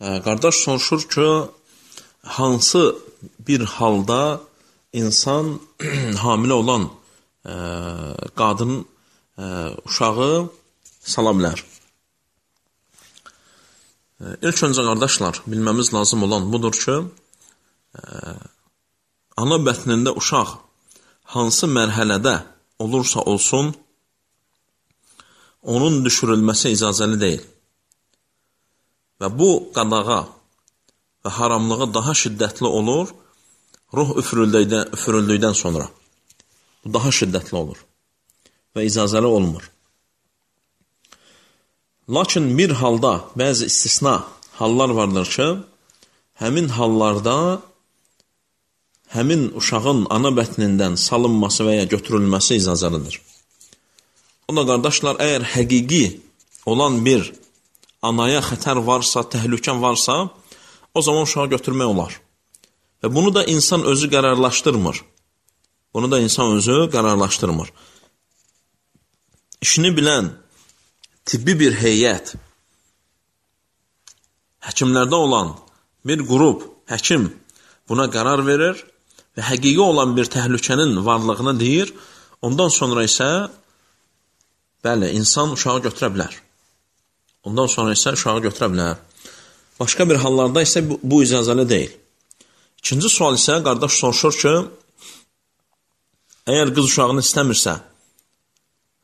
Qardaş soruşur ki, hansı bir halda insan hamilə olan qadın uşağı sala bilər? İlk öncə qardaşlar, bilməmiz lazım olan budur ki, ana bətnində uşaq hansı mərhələdə olursa olsun, onun düşürülməsi icazəli deyil. Və bu qadağa və haramlığı daha şiddətli olur, ruh üfürüldükdən sonra. Bu daha şiddətli olur və icazəli olmur. Lakin bir halda, bəzi istisna hallar vardır ki, həmin hallarda həmin uşağın ana bətnindən salınması və ya götürülməsi icazəlidir. O da qardaşlar, əgər həqiqi olan bir anaya xətər varsa, təhlükə varsa, o zaman uşağı götürmək olar. Və bunu da insan özü qərarlaşdırmır. İşini bilən tibbi bir heyət, həkimlərdə olan bir qrup, həkim buna qərar verir və həqiqi olan bir təhlükənin varlığını deyir, ondan sonra isə bəli, insan uşağı götürə bilər. Başqa bir hallarda isə bu icazəli deyil. İkinci sual isə qardaş soruşur ki, əgər qız uşağını istəmirsə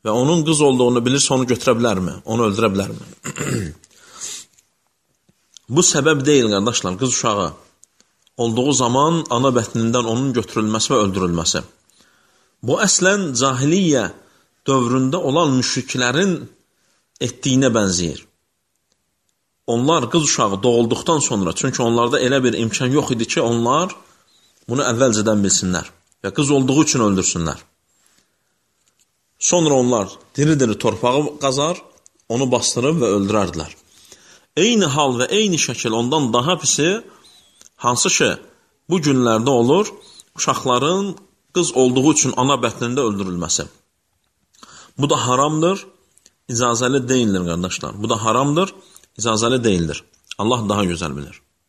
və onun qız olduğunu bilirsə, onu götürə bilərmi? Onu öldürə bilərmi? Bu səbəb deyil qardaşlar, qız uşağı olduğu zaman ana bətnindən onun götürülməsi və öldürülməsi. Bu əslən cahiliyyə dövründə olan müşriklərin etdiyinə bənzəyir. Onlar qız uşağı doğulduqdan sonra, çünki onlarda elə bir imkan yox idi ki, onlar bunu əvvəlcədən bilsinlər və qız olduğu üçün öldürsünlər. Sonra onlar diri-diri torpağı qazar, onu bastırıb və öldürərdilər. Eyni hal və eyni şəkil ondan daha pisi, hansı ki, bu günlərdə olur, uşaqların qız olduğu üçün ana bətnində öldürülməsi. Bu da haramdır, icazəli deyildir qardaşlar. Allah daha gözəl bilir.